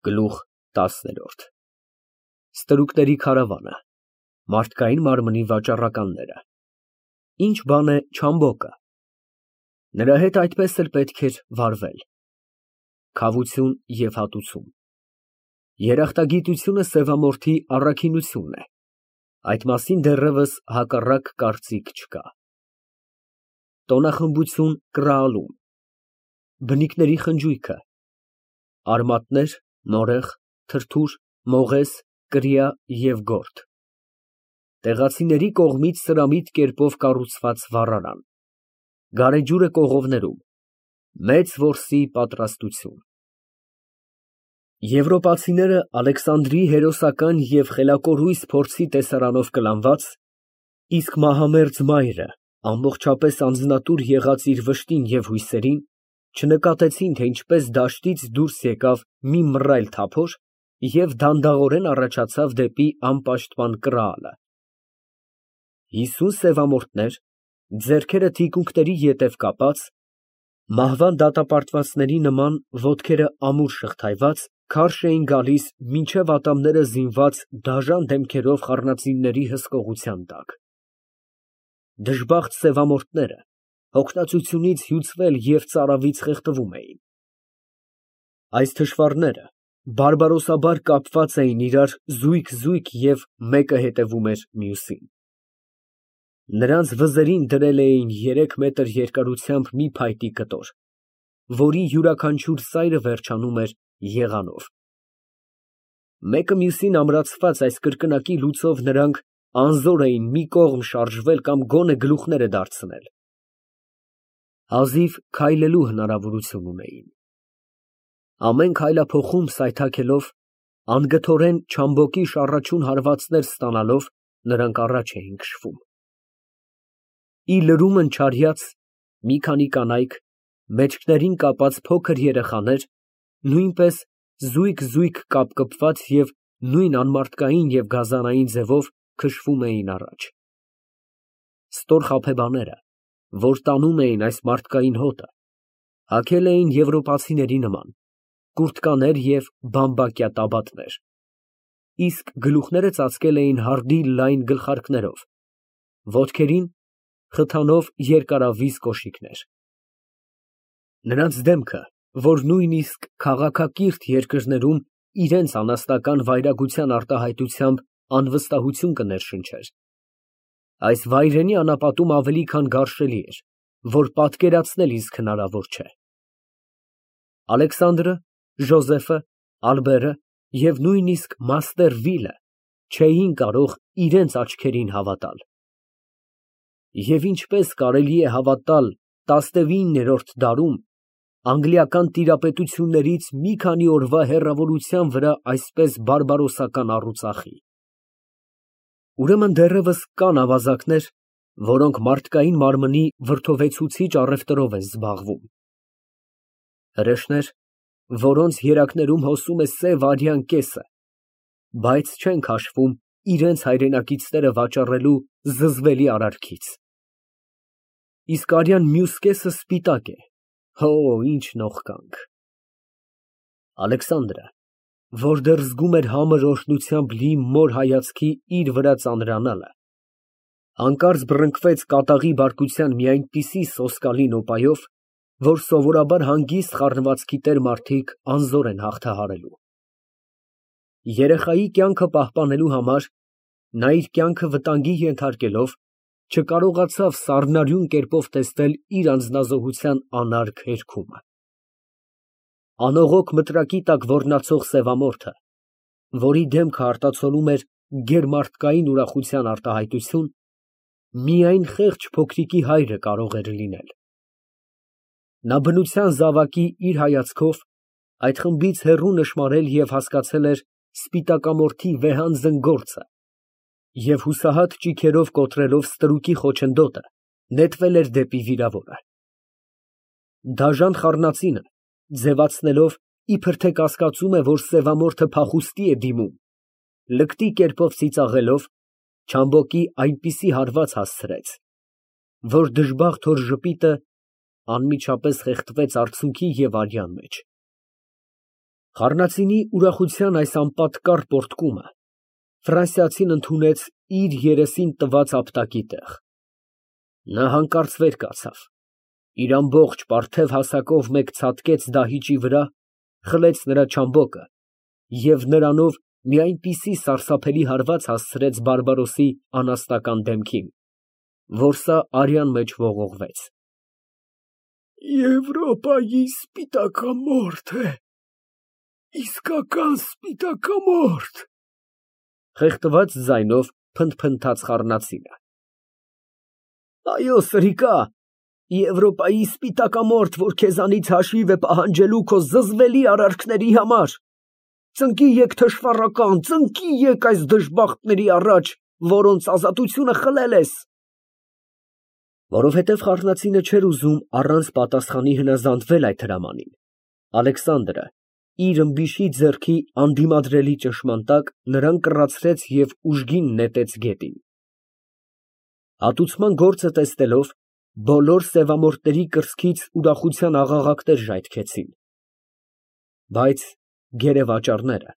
Գլուխ 10 Ստրուկների քարավանը, մարդկային մարմնի վաճառականները, ինչ բան է Չամբոկը, նրա հետ այդպես էլ պետք էր վարվել, քավություն և հատուցում, երախտագիտությունը սևամորթի առաքինությունն է, այդ մասին դեռևս հակառակ կարծիք չկա, տոնախմբություն կռահալում, բնիկների խնջույքը, արմատներ, նորեղ, թրթուր, մողես, կրիա և գորգ, տեղացիների կողմից սրամիտ կերպով կառուցված վառարան, գարեջուրը կողովներում, մեծ որսի պատրաստություն։ Եվրոպացիները Ալեքսանդրիի հերոսական և խելակորույս փորձի տեսարանով կլանված, իսկ մահամերձ մայրը ամբողջապես անձնատուր եղած իր վշտին և հույսերին, չնկատեցին, թե ինչպես դաշտից դուրս եկավ մի մռայլ թափոր և դանդաղորեն առաջացավ դեպի անպաշտպան կռահալը։ 50 սևամորթներ, ձեռքերը թիկունքների ետև կապած, մահվան դատապարտվածների նման ոտքերը ամուր շղթայված, քարշ էին գալիս մինչև ատամները զինված դաժան դեմքերով խառնածինների հսկողության տակ։ Դժբախտ սևամորթները հոգնածությունից հյուծվել և ծարավից խեղդվում էին։ Այս թշվառները բարբարոսաբար կապված էին իրար զույգ և մեկը հետևում էր մյուսին։ Նրանց վզերին դրել էին 3 մետր երկարությամբ մի փայտի կտոր, որի յուրաքանչյուր ծայրը վերջանում էր եղանով։ Մեկը մյուսին ամրացված այս կրկնակի լուծով նրանք անզոր էին մի կողմ շարժվել կամ գոնե գլուխները դարձնել։ Հազիվ քայլելու հնարավորություն ունեին։ Ամեն քայլափոխում սայթաքելով, անգթորեն Չամբոկի շառաչուն հարվածներ ստանալով, նրանք առաջ էին քշվում։ Ի լրումն չարյած, մի քանի կանայք, մեջքներին կապած փոքր երեխաներ, նույնպես զույգ կապկպված և նույն անմարդկային և գազանային ձևով քշվում էին առաջ։ Ստոր խաբեբաները, որ տանում էին այս մարդկային հոտը, հագել էին եվրոպացիների նման կուրտկաներ և բամբակյա տաբատներ, իսկ գլուխները ծածկել էին հարդի լայն գլխարկներով, ոտքերին խթանով երկարավիզ կոշիկներ։ Նրանց դեմքը, որ նույնիսկ քաղաքակիրթ երկրներում իրենց անասնական վայրագության արտահայտությամբ անվստահություն կներշնչեր, այս վայրենի անապատում ավելի քան գարշելի էր, որ պատկերացնել իսկ հնարավոր չէ։ Ալեքսանդրը, Ժոզեֆը, Ալբերը և նույնիսկ մաստեր Վիլը չէին կարող իրենց աչքերին հավատալ։ Եվ ինչպես կարելի է հավատալ 19-րդ դարում անգլիական տիրապետություններից մի քանի օրվա հեռավորության վրա այսպես բարբարոսական առուծախի։ Ուրեմն դեռևս կան ավազակներ, որոնք մարդկային մարմնի վրդովեցուցիչ առևտրով են զբաղվում։ Հրեշներ, որոնց երակներում հոսում է սև արյան կեսը, բայց չեն քաշվում իրենց հայրենակիցները վաճառելու զզվելի արարքից։ Իսկ արյան մյուս կեսը սպիտակ է, հո, ինչ նողկանք։ Ալեքսանդրը, որ դեռ զգում էր համր օրհնությամբ լի մոր հայացքի իր վրա ծանրանալը, հանկարծ բռնկվեց կատաղի բարկության մի այնպիսի սոսկալի նոպայով, որ սովորաբար հանգիստ խառնվածքի տեր մարդիկ անզոր են հաղթահարելու։ Երեխայի կյանքը պահպանելու համար, նա իր կյանքը վտանգի ենթարկելով, չկարողացավ սառնարյուն կերպով տեսնել իր անձնազոհության անարգ հերգումը։ Անողոք մտրակի տակ ոռնացող սևամորթը, որի դեմքը արտացոլում էր գերմարդկային ուրախության արտահայտություն, միայն խեղճ փոքրիկի հայրը կարող էր լինել։ Նա բնության զավակի իր հայացքով այդ խմբից հեռու նշմարել և հասկացել էր սպիտակամորթի վեհանձն գործը և հուսահատ ճիգերով կոտրելով ստրուկի խոչընդոտը, նետվել էր դեպի վիրավորը։ Դաժան խառնածինը, ձևացնելով, իբր թե կասկածում է, որ սևամորթը փախուստի է դիմում, լկտի կերպով ծիծաղելով, Չամբոկի այնպիսի հարված հասցրեց, որ դժբախտ հոր ժպիտը անմիջապես խեղդվեց արցունքի և արյան մեջ։ Խառնածինի ուրախության այս անպատկառ պոռթկումը ֆրանսիացին ընդունեց իր երեսին տված ապտակի տեղ։ Նա հանկարծ վեր կացավ, իր ամբողջ պարթև հասակով մեկ ցատկեց դահիճի վրա, խլեց նրա չամբոկը և նրանով մի այնպիսի սարսափելի հարված հասցրեց բարբարոսի անաստական դեմքին, որ սա արյան մեջ ողողվեց։ Եվրոպայի սպիտակամորթ է, իսկական սպիտակամորթ, Խեղդված ձայնով փնթփնթաց խառնածինը։ Այո, սրիկա, Եվրոպայի սպիտակամորթ, որ քեզանից հաշիվ է պահանջելու քո զզվելի արարքների համար։ Ծնկի եկ թշվառական, ծնկի եկ այս դժբախտների առաջ, որոնց ազատությունը խլել ես։ Որովհետև խառնածինը չէր ուզում առանց պատասխանի հնազանդվել այդ հրամանին, Ալեքսանդրը իր ըմբիշի ձեռքի անդիմադրելի ճնշման տակ նրան կռացրեց և ուժգին նետեց գետին։ Հատուցման գործը տեսնելով, բոլոր սևամորթների կրծքից ուրախության աղաղակներ ժայթքեցին։ Բայց գերեվաճառները,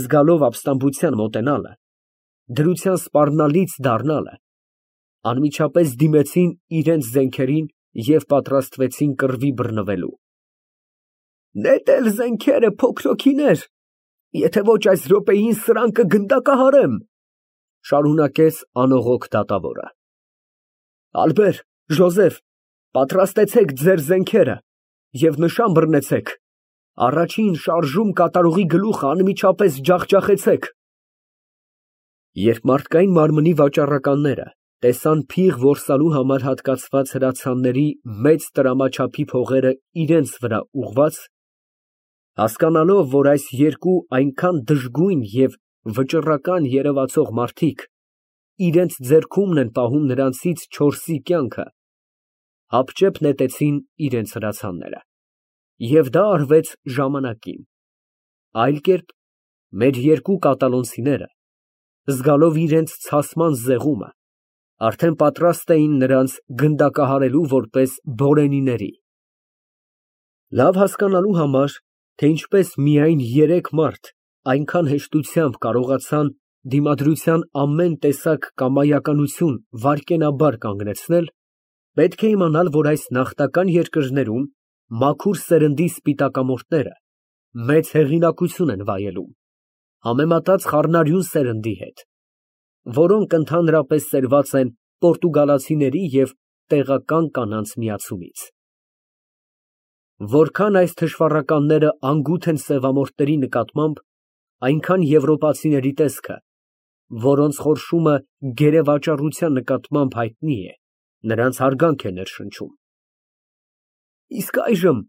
զգալով ապստամբության մոտենալը, դրության սպառնալից դառնալը, անմիջապես դիմեցին իրենց զենքերին և պատրաստվեցին կռվի բռնվելու։ Նետել զենքերը, փոքրոքիներ, եթե ոչ այս րոպեին սրանք կգնդակահարեմ, շարունակեց անողոք դատավորը։ Ալբեր, Ժոզեֆ, պատրաստեցեք ձեր զենքերը և նշան բռնեցեք, առաջին շարժում կատարողի գլուխը անմիջապես ջախջախեցեք։ Երբ մարդկային մարմնի վաճառականները տեսան փիղ որսալու համար հատկացված հրացանների մեծ տրամաչափի փողերը իրենց վրա ուղղված, հասկանալով, որ այս երկու այնքան դժգույն և վճռական երևացող մարդիկ իրենց ձեռքումն են պահում նրանցից չորսի կյանքը, հապճեպ նետեցին իրենց հրացանները։ Եվ դա արվեց ժամանակին, այլ կերպ մեր երկու կատալոնցիները, զգալով իրենց ցասման զեղումը, արդեն պատրաստ էին նրանց գնդակահարելու որպես բորենիների։ Լավ հասկանալու համար, թե ինչպես միայն երեք մարդ այնքան հեշտությամբ կարողացան դիմադրության ամեն տեսակ կամայականություն վայրկենաբար կանգնեցնել, պետք է իմանալ, որ այս նախնական երկրներում մաքուր սերնդի սպիտակամորթները մեծ հեղինակություն են վայելում, համեմատած խառնարյուն սերնդի հետ, որոնք ընդհանրապես սերված են պորտուգալացիների և տեղական կանանց միացումից։ Որքան այս թշվառականները անգութ են սևամորթների նկատմամբ, այնքան եվրոպացիների տեսքը, որոնց խորշումը գերեվաճառության նկատմամբ հայտնի է, նրանց հարգանք է ներշնչում։ Իսկ այժմ,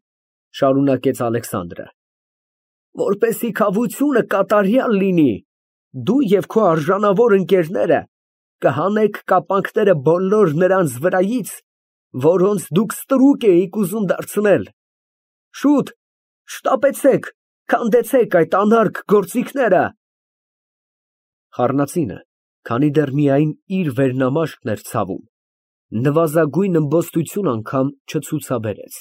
շարունակեց Ալեքսանդրը, որպեսզի քավությունը կատարյալ լինի, դու և քո արժանավոր ընկերները կհանեք կապանքները բոլոր նրանց վրայից, որոնց դուք ստրուկ էիք ուզում դարձնել։ Շուտ, շտապեցեք, քանդեցեք այդ անարգ գործիքները։ Խառնածինը, քանի դեռ միայն իր վերնամաշկն էր ցավում, նվազագույն ըմբոստություն անգամ չցուցաբերեց։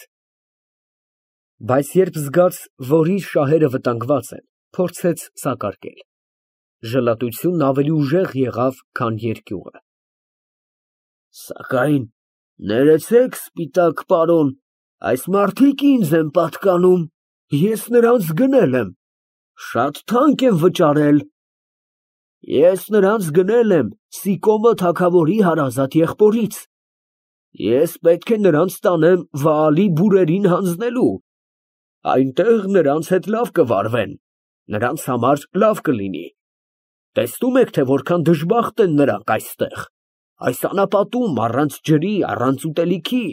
Բայց երբ զգաց, որ իր շահերը վտանգված են, փորձեց սակարկել։ Ժլատությունն ավելի ուժեղ եղավ, քան երկյուղը։ Սակայն ներեցեք, սպիտակ պարոն, այս մարդիկ ինձ են պատկանում, ես նրանց գնել եմ, շատ թանկ եմ վճարել։ Ես նրանց գնել եմ Սիկոմո թագավորի հարազատ եղբորից։ Ես պետք է նրանց տանեմ Վաալի բուրերին հանձնելու, այնտեղ նրանց հետ լավ կվարվեն, նրանց համար լավ կլինի։ Տեսնում եք, թե որքան դժբախտ են նրանք այստեղ, այս անապատում, առանց ջրի, առանց ուտելիքի։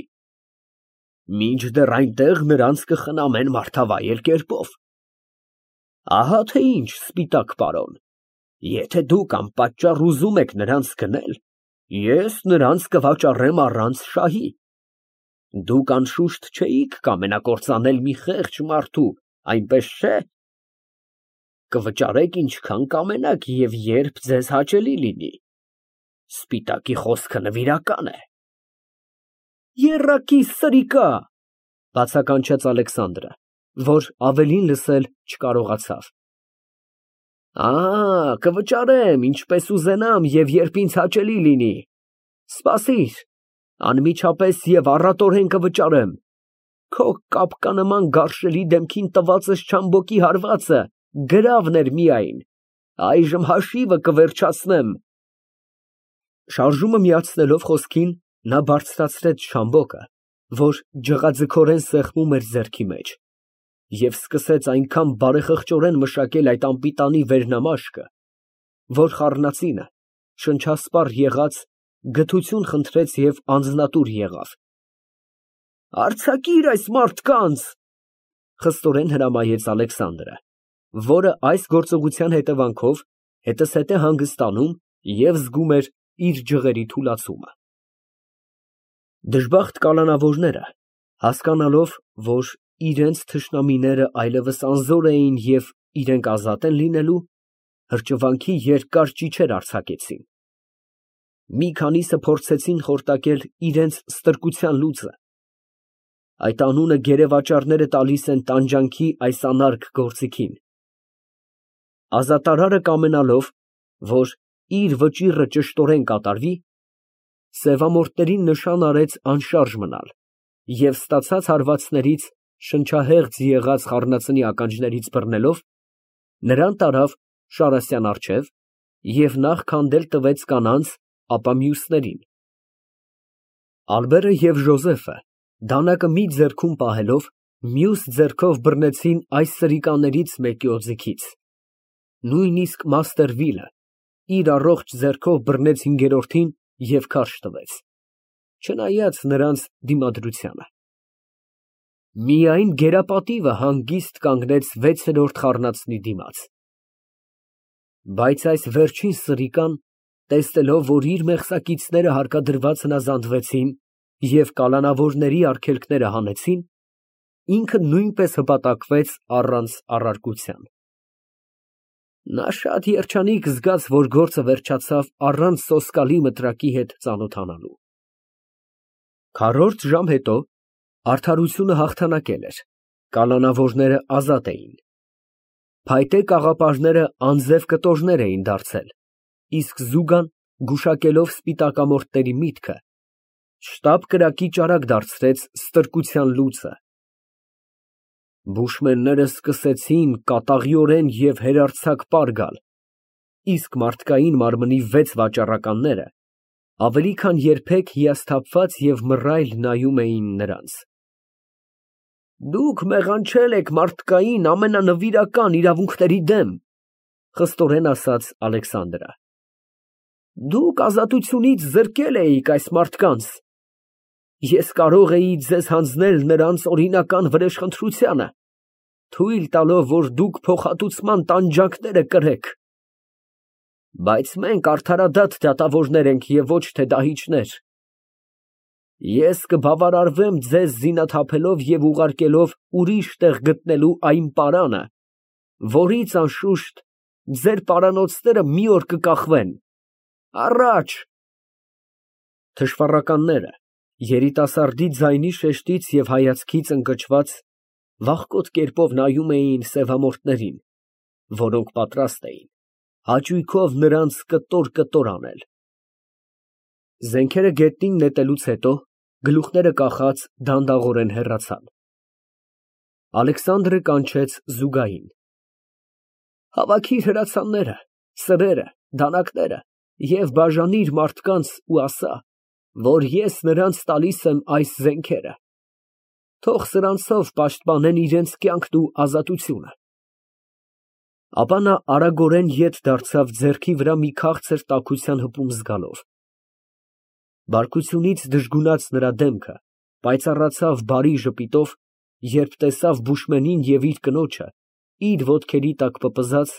Մինչդեռ այնտեղ նրանց կխնամեն մարդավայել կերպով։ Ահա թե ինչ, սպիտակ պարոն, եթե դուք անպատճառ ուզում եք նրանց գնել, ես նրանց կվաճառեմ առանց շահի։ Դուք անշուշտ չէիք կամենակործանել մի խեղճ մարդու, այնպես չէ։ Կվճարեք ինչքան կամենաք և երբ ձեզ հաճելի լինի։ Սպիտակի խոսքը նվիրական է։ Եռակի սրիկա, բացականչեց Ալեքսանդրը, որ ավելին լսել չկարողացավ։ Կվճարեմ, ինչպես ուզենամ և երբ ինձ հաճելի լինի։ Սպասիր, անմիջապես և առատորեն կվճարեմ։ Քո կապկանման գարշելի դեմքին տվածս չամբոկի հարվածը գրավն էր միայն, այժմ հաշիվը կվերջացնեմ։ Շարժումը միացնելով խոսքին, նա բարձրացրեց շամբոկը, որ ջղաձգորեն սեղմում էր ձեռքի մեջ, և սկսեց այնքան բարեխղճորեն մշակել այդ անպիտանի վերնամաշկը, որ խառնածինը, շնչասպառ եղած, գթություն խնդրեց և անձնատուր եղավ։ Արձակիր այս մարդկանց, խստորեն հրամայեց Ալեքսանդրը, որը այս գործողության հետևանքով հետզհետե հանգստանում և զգում էր իր ջղերի թուլացումը։ Դժբախտ կալանավորները, հասկանալով, որ իրենց թշնամիները այլևս անզոր էին և իրենք ազատ են լինելու, հրճվանքի երկար ճիչեր արձակեցին։ Մի քանիսը փորձեցին խորտակել իրենց ստրկության լուծը։ Այդ անունը գերեվաճառները տալիս են տանջանքի այս անարգ գործիքին։ Ազատարարը կամենալով, որ իր վճիռը ճշտորեն կատարվի, սևամորթներին նշան արեց անշարժ մնալ և ստացած հարվածներից շնչահեղձ եղած խառնածնի ականջներից բռնելով, նրան տարավ Շարասյան առջև և նախ քանդել տվեց կանանց, ապա մյուսներին։ Ալբերը և Ժոզեֆը, դանակը մի ձեռքում պահելով, մյուս ձեռքով բռնեցին այս սրիկաներից մեկի օձիքից։ Նույնիսկ մաստեր Վիլը իր առողջ ձեռքով բռնեց հինգերորդին և քարշ տվեց, չնայած նրանց դիմադրությանը։ Միայն գերապատիվը հանգիստ կանգնեց վեցերորդ խառնածնի դիմաց։ Բայց այս վերջին սրիկան, տեսնելով, որ իր մեղսակիցները հարկադրված հնազանդվեցին և կալանավորների արգելքները հանեցին, ինքը նույնպես հպատակվեց առանց առարկության։ Նա շատ երջանիկ զգաց, որ գործը վերջացավ առանց սոսկալի մտրակի հետ ծանոթանալու։ Քառորդ ժամ հետո արդարությունը հաղթանակել էր, կալանավորները ազատ էին։ Փայտե կաղապարները անձև կտորներ էին դարձել, իսկ Զուգան, գուշակելով սպիտակամորթների միտքը, շտապ կրակի ճարակ դարձրեց ստրկության լուծը։ Բուշմենները սկսեցին կատաղիորեն և հերարձակ պար գալ, իսկ մարդկային մարմնի 6 վաճառականները ավելի քան երբեք հիասթափված և մռայլ նայում էին նրանց։ Դուք մեղանչել եք մարդկային ամենանվիրական իրավունքների դեմ, խստորեն ասաց Ալեքսանդրը։ Դուք ազատությունից զրկել էիք այս մարդկանց։ Ես կարող էի ձեզ հանձնել նրանց օրինական վրեժխնդրությանը, թույլ տալով, որ դուք փոխհատուցման տանջանքները կրեք։ Բայց մենք արդարադատ դատավորներ ենք և ոչ թե դահիճներ։ Ես կբավարարվեմ ձեզ զինաթափելով և ուղարկելով ուրիշ տեղ գտնելու այն պարանը, որից, անշուշտ, ձեր պարանոցները մի օր կկախվեն։ Առաջ։ Թշվառականները, երիտասարդի ձայնի շեշտից և հայացքից ընկճված, վախկոտ կերպով նայում էին սևամորթներին, որոնք պատրաստ էին հաճույքով նրանց կտոր անել։ Զենքերը գետնին նետելուց հետո, գլուխները կախած, դանդաղորեն հեռացան։ Ալեքսանդրը կանչեց Զուգային։ Հավաքիր հրացանները, սրերը, դանակները և բաժանիր մարդկանց ու ասա, որ ես նրանց տալիս եմ այս զենքերը։ Թող սրանցով պաշտպանեն իրենց կյանքն ու ազատությունը։ Ապա նա արագորեն ետ դարձավ ձեռքի վրա մի քաղցր տաքության հպում զգալով։ Բարկությունից դժգունած նրա դեմքը պայծառացավ բարի ժպիտով, երբ տեսավ Բուշմենին և իր կնոջը, իր ոտքերի տակ պպզած,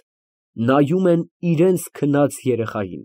նայում են իրենց քնած երեխային։